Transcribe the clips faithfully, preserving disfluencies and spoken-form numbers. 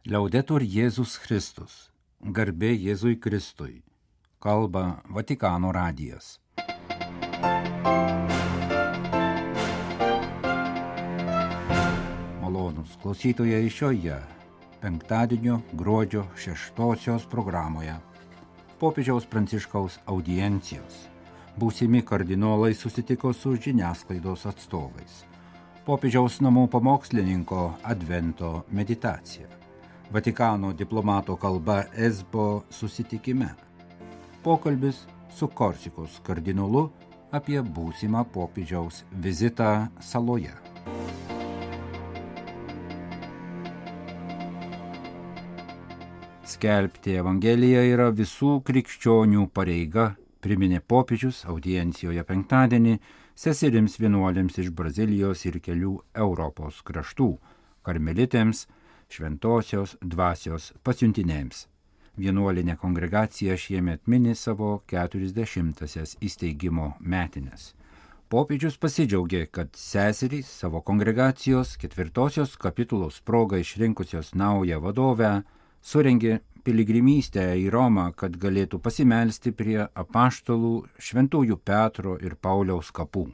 Liaudetur Jėzus Kristus, garbė Jėzui Kristui, kalba Vatikano radijas. Malonūs klausytojai šioje penktadienio gruodžio šeštosios programoje popiežiaus Pranciškaus audiencijos. Būsimi kardinolai susitiko su žiniasklaidos atstovais. Popiežiaus namų pamokslininko advento meditacija. Vatikano diplomato kalba Esbo susitikime. Pokalbis su Korsikos kardinolu apie būsimą popiežiaus vizitą saloje. Skelbti Evangeliją yra visų krikščionių pareiga, priminė popiežius audiencijoje penktadienį seserims vienuolėms iš Brazilijos ir kelių Europos kraštų, karmelitėms, šventosios dvasios pasiuntinėms. Vienuolinė kongregacija šiemet mini savo keturiasdešimtąsias įsteigimo metines. Popiežius pasidžiaugė, kad seserys savo kongregacijos ketvirtosios kapitulos proga išrinkusios naują vadovę surengė piligrimystę į Romą, kad galėtų pasimelsti prie apaštalų šventųjų Petro ir Pauliaus kapų.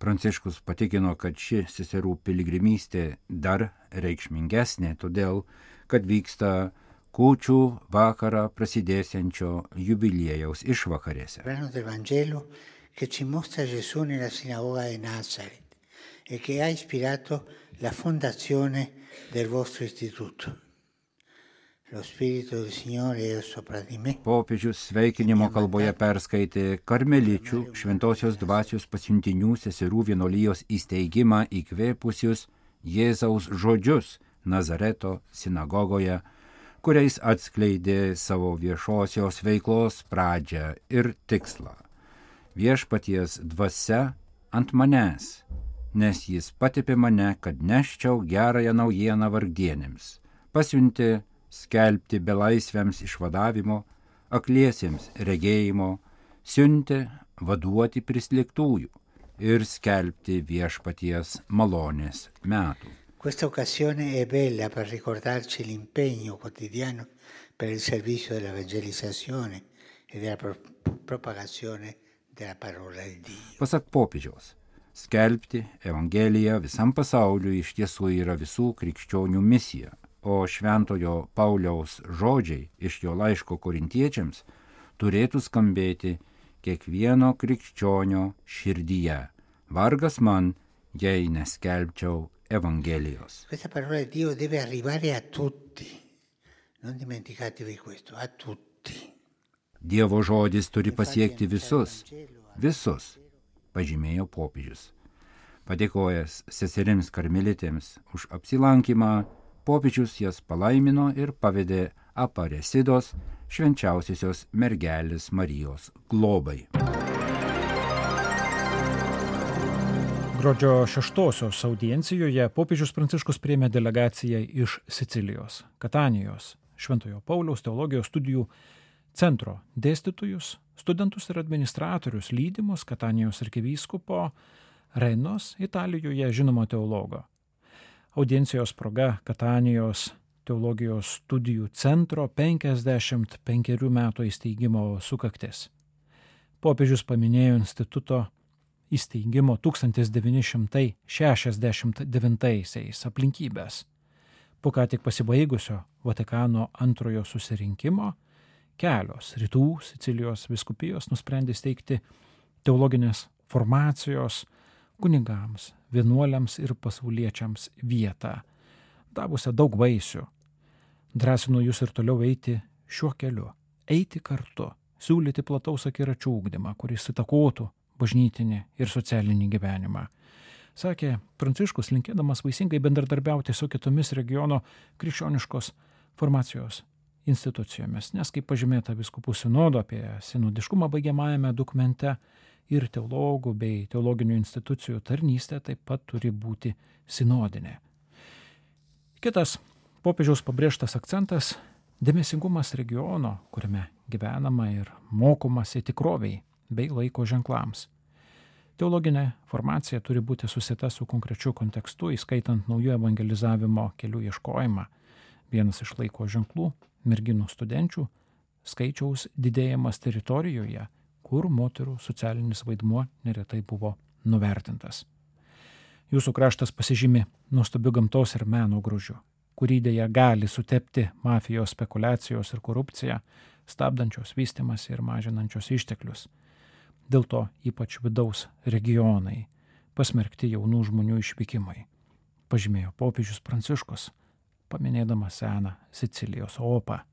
Pranciškus patikino, kad ši seserų piligrimystė dar reikšmingesnė, todėl, kad vyksta kūčių vakarą prasidėsiančio jubiliejaus išvakarėse. Brano del Vangelo che ci mostra Gesù nella sinagoga di Nazaret e che ha ispirato la fondazione del vostro istituto. Lo spirito del Signore è sopra di me. Popiežius sveikinimo kalboje perskaitė karmeličių šventosios dvasios pasiuntinių seserų vienuolijos įsteigimą įkvėpusius Jėzaus žodžius Nazareto sinagogoje, kuriais atskleidė savo viešosios veiklos pradžią ir tikslą. Viešpaties dvasia ant manęs, nes jis patepė mane, kad neščiau gerąją naujieną vargdienėms, pasiuntė skelbti belaisviams išvadavimo, akliesiems regėjimo, siuntė vaduoti prislėgtųjų ir skelbti viešpaties malonės metų. Questa occasione è bella per ricordarci l'impegno quotidiano per il servizio della evangelizzazione e della pro- propagazione della parola di Dio. Pasak popiežiaus, skelbti Evangeliją visam pasauliu iš tiesų yra visų krikščionių misija, o šventojo Pauliaus žodžiai iš jo laiško korintiečiams turėtų skambėti kiekvieno krikščionio širdyje. Vargas man, jei neskelbčiau Evangelijos. Questa parola di Dio deve arrivare a tutti. Non dimenticatevi questo, a tutti. Dievo žodis turi pasiekti visus, visus, pažymėjo popiežius. Padėkojęs seserims karmelitėms už apsilankymą, popiežius jas palaimino ir pavedė Aparesidos švenčiausiosios mergelės Marijos globai. Gruodžio šeštosios audiencijoje popiežius Pranciškus priėmė delegaciją iš Sicilijos, Katanijos, Šventojo Pauliaus teologijos studijų centro dėstytojus, studentus ir administratorius lydimus Katanijos arkivyskupo Reinos, Italijoje žinomo teologo. Audiencijos proga Katanijos teologijos studijų centro penkiasdešimt penkerių metų įsteigimo sukaktis. Popiežius paminėjo instituto įsteigimo tūkstantis devyni šimtai šešiasdešimt devintaisiais aplinkybės. Po ką tik pasibaigusio Vatikano antrojo susirinkimo kelios rytų Sicilijos vyskupijos nusprendė steigti teologinės formacijos kunigams, vienuoliams ir pasauliečiams vietą, davusią daug vaisių. Drąsinu jūs ir toliau eiti šiuo keliu, eiti kartu, siūlyti plataus akiračių ugdymą, kuris įtakotų bažnytinį ir socialinį gyvenimą. Sakė Pranciškus, linkėdamas vaisingai bendradarbiauti su kitomis regiono krikščioniškos formacijos institucijomis, nes kaip pažymėta vyskupų sinodo apie sinodiškumą baigiamajame dokumente, ir teologų bei teologinių institucijų tarnystė taip pat turi būti sinodinė. Kitas popiežiaus pabrėžtas akcentas – dėmesingumas regiono, kuriame gyvenama ir mokomasi tikroviai bei laiko ženklams. Teologinė formacija turi būti susieta su konkrečiu kontekstu, įskaitant naujų evangelizavimo kelių ieškojimą Vienas iš laiko ženklų – merginų studenčių skaičiaus didėjimas teritorijoje, kur moterų socialinis vaidmuo neretai buvo nuvertintas. Jūsų kraštas pasižymi nuostabiu gamtos ir meno grožiu, kurį dėja gali sutepti mafijos spekulacijos ir korupcija, stabdančios vystimas ir mažinančios išteklius. Dėl to ypač vidaus regionai pasmerkti jaunų žmonių išvykimai, pažymėjo popiežius Pranciškus, paminėdamas seną Sicilijos opą.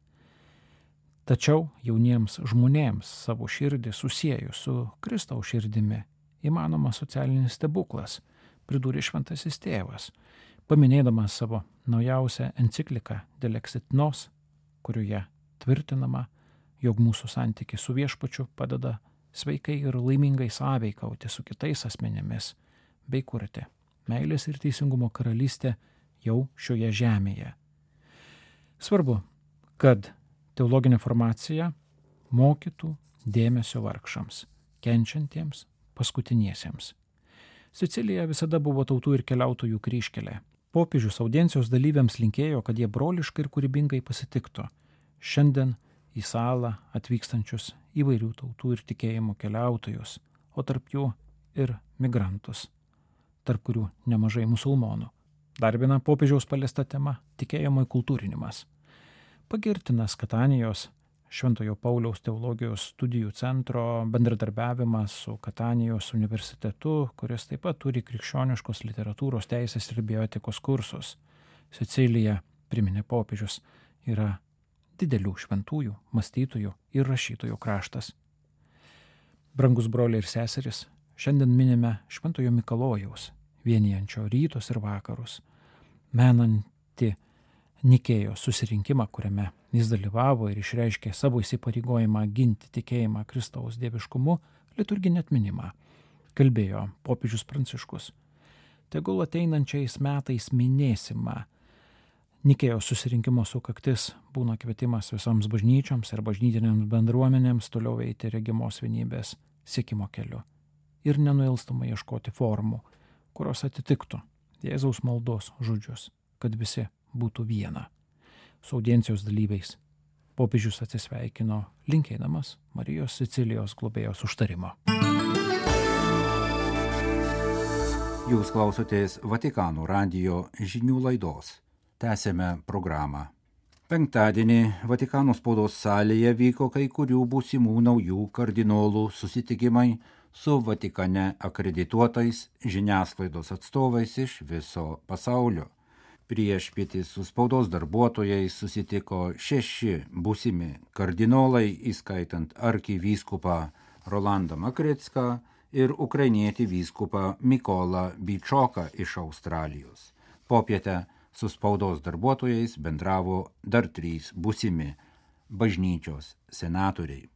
Tačiau jauniems žmonėms savo širdį susiejus su Kristaus širdimi įmanomas socialinis stebuklas, pridūrė šventasis tėvas, paminėdamas savo naujausią encikliką Del Exit-Nos, kurioje tvirtinama, jog mūsų santykis su Viešpačiu padeda sveikai ir laimingai sąveikauti su kitais asmenėmis, bei kurti meilės ir teisingumo karalystę jau šioje žemėje. Svarbu, kad teologinė formacija mokytų dėmesio vargšams, kenčiantiems, paskutiniesiems. Sicilija visada buvo tautų ir keliautojų kryžkelė. Popiežius audiencijos dalyviams linkėjo, kad jie broliškai ir kūrybingai pasitiktų šiandien į salą atvykstančius įvairių tautų ir tikėjimų keliautojus, o tarp jų ir migrantus, tarp kurių nemažai musulmonų. Dar viena popiežiaus paliesta tema – tikėjimo įkultūrinimas. Pagirtinas Katanijos Šventojo Pauliaus teologijos studijų centro bendradarbiavimas su Katanijos universitetu, kuris taip pat turi krikščioniškos literatūros teisės ir bioetikos kursus. Sicilija, priminė popiežius, yra didelių šventųjų, mąstytojų ir rašytojų kraštas. Brangus broliai ir seserys, šiandien minime Šventojo Mikalojaus, vienijančio rytus ir vakarus, menanti Nikėjos susirinkimą, kuriame jis dalyvavo ir išreiškė savo įsipareigojimą ginti tikėjimą Kristaus dieviškumu, liturginį atminimą, kalbėjo popiežius Pranciškus. Tegul ateinančiais metais minėsime Nikėjos susirinkimo sukaktis būna kvietimas visoms bažnyčioms ir bažnytinėms bendruomenėms toliau eiti regimos vienybės siekimo keliu ir nenuilstamai ieškoti formų, kurios atitiktų Jėzaus maldos žodžius, kad visi būtų viena. Su audiencijos dalyviais popiežius atsisveikino linkėdamas Marijos Sicilijos globėjos užtarimo. Jūs klausotės Vatikano radijo žinių laidos. Tęsėme programą. Penktadienį Vatikano spaudos salėje vyko kai kurių būsimų naujų kardinolų susitikimai su Vatikane akredituotais žiniasklaidos atstovais iš viso pasaulio. Priešpietį su spaudos darbuotojais susitiko šeši būsimi kardinolai, įskaitant arkivyskupą Rolandą Makricką ir ukrainietį vyskupą Mykolą Byčoką iš Australijos. Popietę su spaudos darbuotojais bendravo dar trys būsimi bažnyčios senatoriai.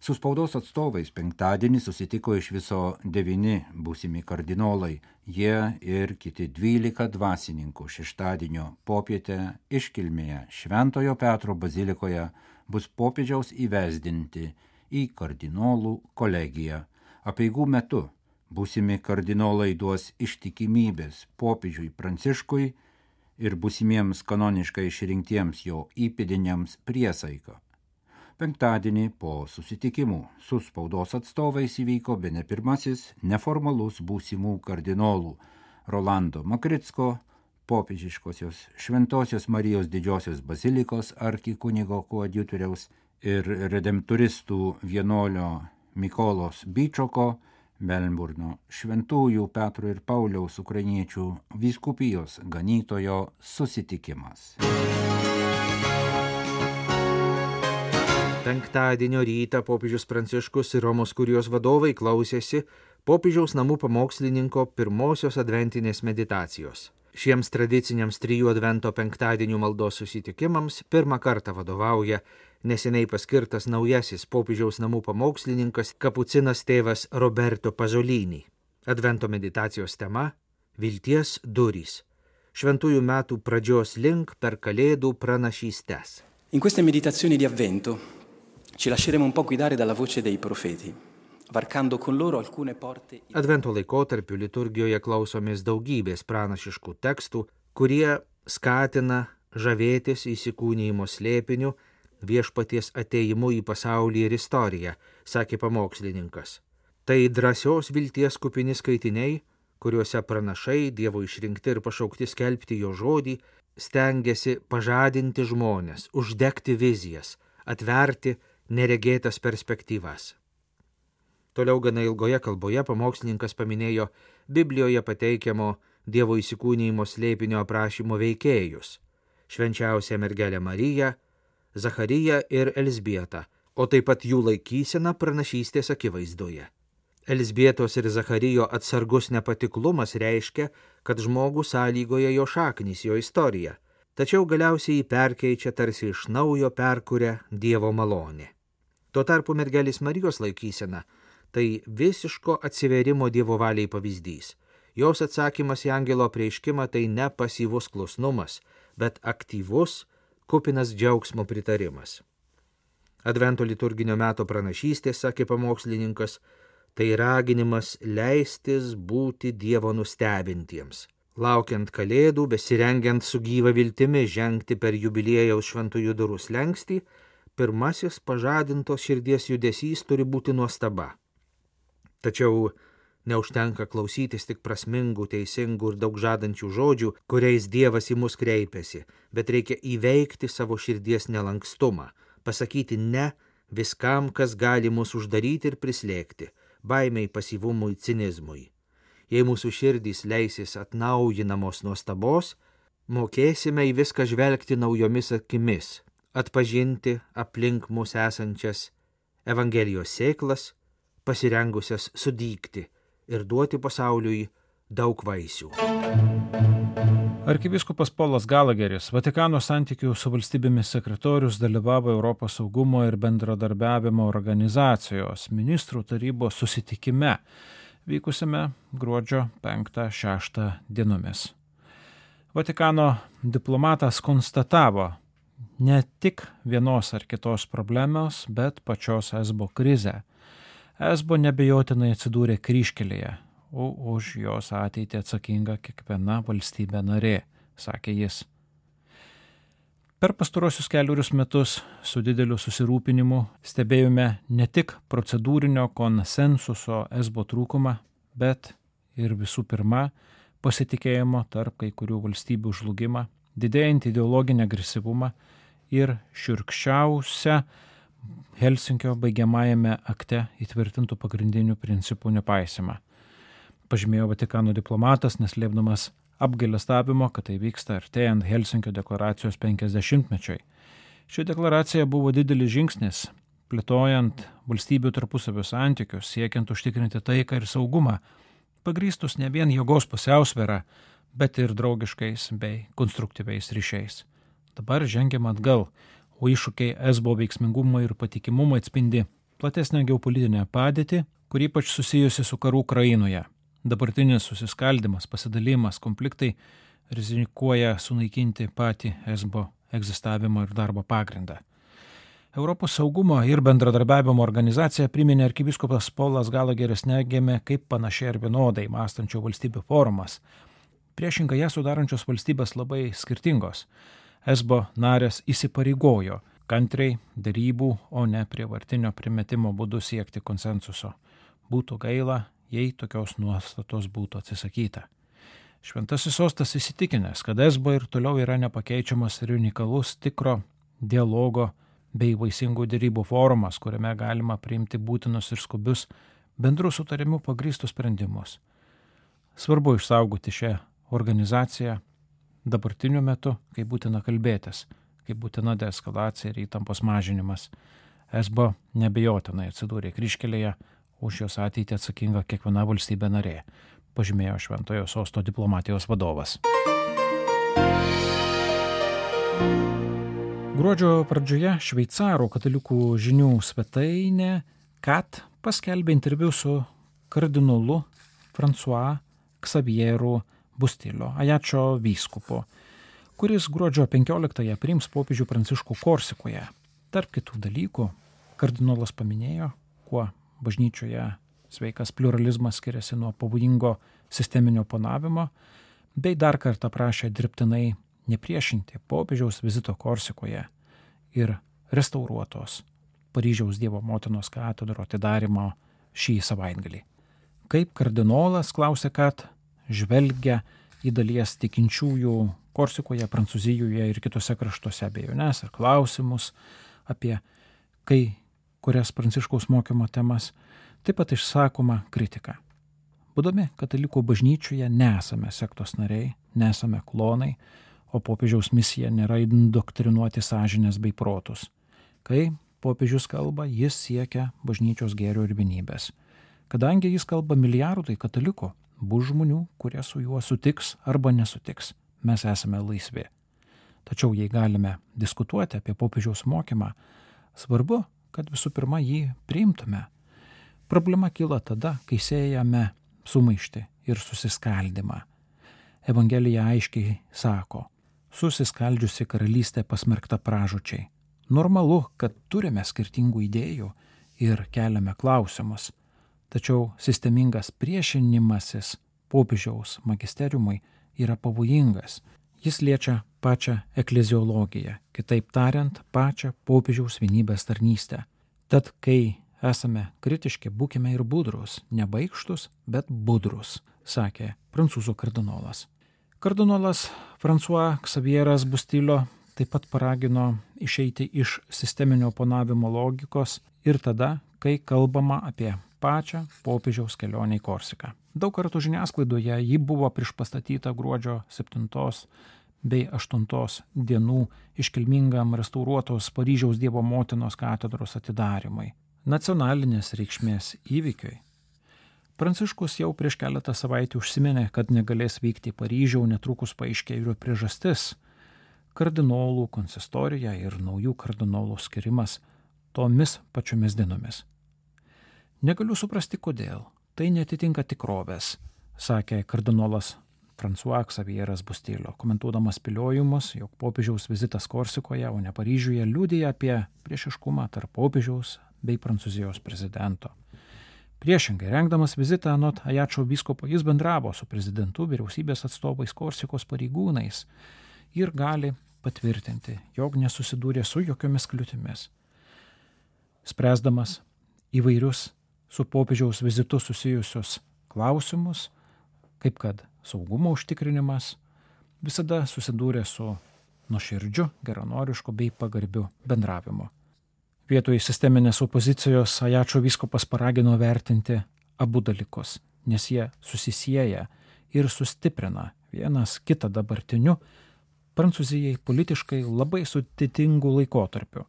Su spaudos atstovais penktadienį susitiko iš viso devyni būsimi kardinolai, jie ir kiti dvylika dvasininkų šeštadienio popietę iškilmėje Šventojo Petro bazilikoje bus popiežiaus įvesdinti į kardinolų kolegiją. Apeigų metu būsimi kardinolai duos ištikimybės popiežiui Pranciškui ir būsimiems kanoniškai išrinktiems jo įpėdiniams priesaiką. Penktadienį po susitikimų su spaudos atstovais įvyko bene pirmasis neformalus būsimų kardinolų Rolando Makricko, popiežiškosios Šventosios Marijos didžiosios bazilikos arkikunigo koadjutoriaus ir redemptoristų vienuolio Mykolos Byčoko, Melburno Šventųjų Petro ir Pauliaus ukrainiečių vyskupijos ganytojo susitikimas. Penktadienio rytą popiežius Pranciškus ir Romos kurijos vadovai klausėsi popiežiaus namų pamokslininko pirmosios adventinės meditacijos. Šiems tradiciniams trijų advento penktadienių maldos susitikimams pirmą kartą vadovauja neseniai paskirtas naujasis popiežiaus namų pamokslininkas kapucinas tėvas Roberto Pasolini. Advento meditacijos tema – Vilties durys. Šventųjų metų pradžios link per Kalėdų pranašystes. In queste meditazioni di Avvento ci lasceremo un po' guidare dalla voce dei profeti, varcando con loro alcune porte. Advento laikotarpiu liturgijoje klausomės daugybės pranašiškų tekstų, kurie skatina žavėtis įsikūnijimo slėpiniu, viešpaties atėjimu į pasaulį ir istoriją, sakė pamokslininkas. Tai drąsios vilties kupini skaitiniai, kuriuose pranašai, Dievo išrinkti ir pašaukti skelbti jo žodį, stengiasi pažadinti žmones, uždegti vizijas, atverti neregėtas perspektyvas. Toliau gana ilgoje kalboje pamokslininkas paminėjo Biblijoje pateikiamo Dievo įsikūnijimo slėpinio aprašymo veikėjus – švenčiausią mergelę Mariją, Zachariją ir Elzbietą, o taip pat jų laikyseną pranašystės akivaizdoje. Elzbietos ir Zacharijo atsargus nepatiklumas reiškia, kad žmogų sąlygoja jo šaknys, jo istorija, tačiau galiausiai jį perkeičia tarsi iš naujo perkuria Dievo malonė. Tuo tarpu mergelės Marijos laikysena – tai visiško atsiverimo Dievo valiai pavyzdys. Jos atsakymas į angelo apreiškimą tai ne pasyvus klusnumas, bet aktyvus, kupinas džiaugsmo pritarimas. Advento liturginio meto pranašystės, sakė pamokslininkas, tai raginimas leistis būti Dievo nustebintiems. Laukiant kalėdų, besirengiant su gyva viltimi žengti per jubiliejaus šventųjų durų slenkstį, pirmasis pažadintos širdies judesys turi būti nuostaba. Tačiau neužtenka klausytis tik prasmingų, teisingų ir daug žadančių žodžių, kuriais Dievas į mus kreipiasi, bet reikia įveikti savo širdies nelankstumą, pasakyti ne viskam, kas gali mus uždaryti ir prislėgti, baimiai, pasyvumui, cinizmui. Jei mūsų širdys leisis atnaujinamos nuostabos, mokėsime į viską žvelgti naujomis akimis, atpažinti aplink mus esančias Evangelijos sėklas, pasirengusias sudygti ir duoti pasauliui daug vaisių. Arkivyskupas Polas Galageris, Vatikano santykių su valstybėmis sekretorius, dalyvavo Europos saugumo ir bendradarbiavimo organizacijos ministrų tarybos susitikime, vykusiame gruodžio penktą šeštą dienomis. Vatikano diplomatas konstatavo ne tik vienos ar kitos problemos, bet pačios esbo krizę. Esbo nebejotinai atsidūrė kryžkelėje, o už jos ateitį atsakinga kiekviena valstybė narė, sakė jis. Per pastarosius keliurius metus su dideliu susirūpinimu stebėjome ne tik procedūrinio konsensuso esbo trūkumą, bet ir visų pirma pasitikėjimo tarp kai kurių valstybių žlugimą, didėjantį ideologinį agresyvumą ir šiurkščiausią Helsinkio baigiamajame akte įtvirtintų pagrindinių principų nepaisimą. Pažymėjo Vatikano diplomatas, neslėpdamas apgailestavimo, kad tai vyksta artėjant Helsinkio deklaracijos penkiasdešimtmečiui. Ši deklaracija buvo didelis žingsnis, plėtojant valstybių tarpusavio santykius, siekiant užtikrinti taiką ir saugumą, pagrįstus ne vien jėgos pusiausvyrą, bet ir draugiškais bei konstruktyviais ryšiais. Dabar žengiam atgal, o iššūkiai esbo veiksmingumą ir patikimumą atspindi platesnę geopolitinę padėtį, kuri ypač susijusi su karu Ukrainoje. Dabartinis susiskaldimas, pasidalimas, konfliktai rizikuoja sunaikinti patį esbo egzistavimo ir darbo pagrindą. Europos saugumo ir bendradarbiavimo organizacija priminė arkivyskupas Polas Galageris negėmė kaip panašiai ir vienodai mąstančių valstybių forumas. Priešingai ją sudarančios valstybės labai skirtingos. Esbo narės įsipareigojo kantriai dėrybų, o ne prievartinio primetimo būdu siekti konsensuso. Būtų gaila, jei tokios nuostatos būtų atsisakyta. Šventasis sostas įsitikinęs, kad esbo ir toliau yra nepakeičiamas ir unikalus tikro dialogo bei vaisingų dėrybų forumas, kuriame galima priimti būtinus ir skubius bendrų sutarimų pagrįstus sprendimus. Svarbu išsaugoti šią organizaciją dabartiniu metu, kai būtina kalbėtis, kai būtina deeskalacija ir įtampos mažinimas. Esbo nebejotinai atsidūrė kryžkelėje, už jos ateitį atsakinga kiekviena valstybė narė, pažymėjo Šventojo sosto diplomatijos vadovas. Gruodžio pradžioje šveicarų katalikų žinių svetainė Kat paskelbė interviu su kardinolu François Xavieru Bustilio, Ajačio vyskupu, kuris gruodžio penkioliktąją priims popiežių Pranciškų Korsikoje. Tarp kitų dalykų, kardinolas paminėjo, kuo bažnyčioje sveikas pluralizmas skiriasi nuo pavojingo sisteminio oponavimo, bei dar kartą prašė dirbtinai nepriešinti popiežiaus vizito Korsikoje ir restauruotos Paryžiaus Dievo motinos katedro atidarymo šį savaitgalį. Kaip kardinolas, klausė, kad žvelgia į dalies tikinčiųjų Korsikoje, Prancūzijoje ir kitose kraštuose abejones ir klausimus apie kai kurias Pranciškaus mokymo temas, taip pat išsakoma kritika. Būdami katalikų bažnyčioje nesame sektos nariai, nesame klonai, o popiežiaus misija nėra indoktrinuoti sąžinės bei protus. Kai popiežius kalba, jis siekia bažnyčios gėrio ir vienybės. Kadangi jis kalba milijardui katalikų, bus žmonių, kurie su juo sutiks arba nesutiks. Mes esame laisvi. Tačiau jei galime diskutuoti apie popiežiaus mokymą, svarbu, kad visų pirma jį priimtume. Problema kyla tada, kai siejame sumaištį ir susiskaldimą. Evangelija aiškiai sako, susiskaldžiusi karalystė pasmerkta pražūčiai. Normalu, kad turime skirtingų idėjų ir keliame klausimus, tačiau sistemingas priešinimasis popiežiaus magisteriumui yra pavojingas. Jis liečia pačią ekleziologiją, kitaip tariant, pačią popiežiaus vienybės tarnystę. Tad, kai esame kritiški, būkime ir budrus, ne baikštus, bet budrus, sakė prancūzų kardinolas. Kardinolas François Xavieras Bustillo taip pat paragino išeiti iš sisteminio oponavimo logikos ir tada, kai kalbama apie pačią popiežiaus kelionę į Korsiką. Daug kartų žiniasklaidoje ji buvo priešpastatyta gruodžio septintos bei aštuntos dienų iškilmingam restauruotos Paryžiaus Dievo motinos katedros atidarymui, nacionalinės reikšmės įvykiui. Pranciškus jau prieš keletą savaičių užsiminė, kad negalės vykti į Paryžių, netrukus paaiškėjo ir priežastis – kardinolų konsistorija ir naujų kardinolų skirimas tomis pačiomis dienomis. Negaliu suprasti, kodėl. Tai netitinka tikrovės, sakė kardinolas François Xavieras Bustillo, komentuodamas spėliojimus, jog popiežiaus vizitas Korsikoje, o ne Paryžiuje, liudija apie priešiškumą tarp popiežiaus bei Prancūzijos prezidento. Priešingai, rengdamas vizitą anot Ajačio vyskupo, jis bendravo su prezidentu, vyriausybės atstovais, Korsikos pareigūnais ir gali patvirtinti, jog nesusidūrė su jokiomis kliūtimis. Spręsdamas įvairius su popiežiaus vizitu susijusius klausimus, kaip kad saugumo užtikrinimas, visada susidūrė su nuoširdžiu, geranorišku bei pagarbiu bendravimu. Vietoj sisteminės opozicijos Ajačio vyskupas paragino vertinti abu dalykus, nes jie susisieja ir sustiprina vienas kitą dabartiniu Prancūzijai politiškai labai sudėtingu laikotarpiu.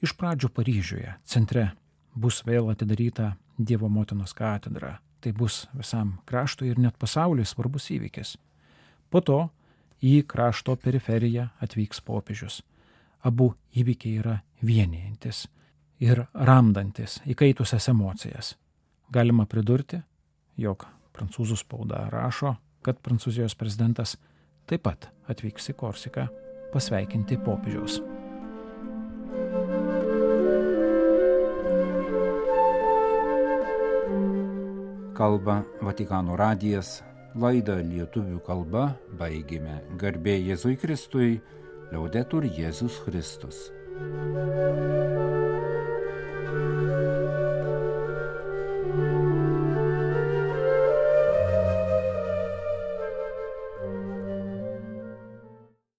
Iš pradžių Paryžiuje, centre, bus vėl atidaryta Dievo motinos katedra. Tai bus visam kraštui ir net pasauliui svarbus įvykis. Po to į krašto periferiją atvyks popiežius. Abu įvykiai yra vienijantis ir ramdantis įkaitusias emocijas. Galima pridurti, jog prancūzų spauda rašo, kad Prancūzijos prezidentas taip pat atvyks į Korsiką pasveikinti popiežiaus. Kalba Vatikano radijas, laidą lietuvių kalba baigėme. Garbė Jėzui Kristui, Liaudetur Jėzus Kristus.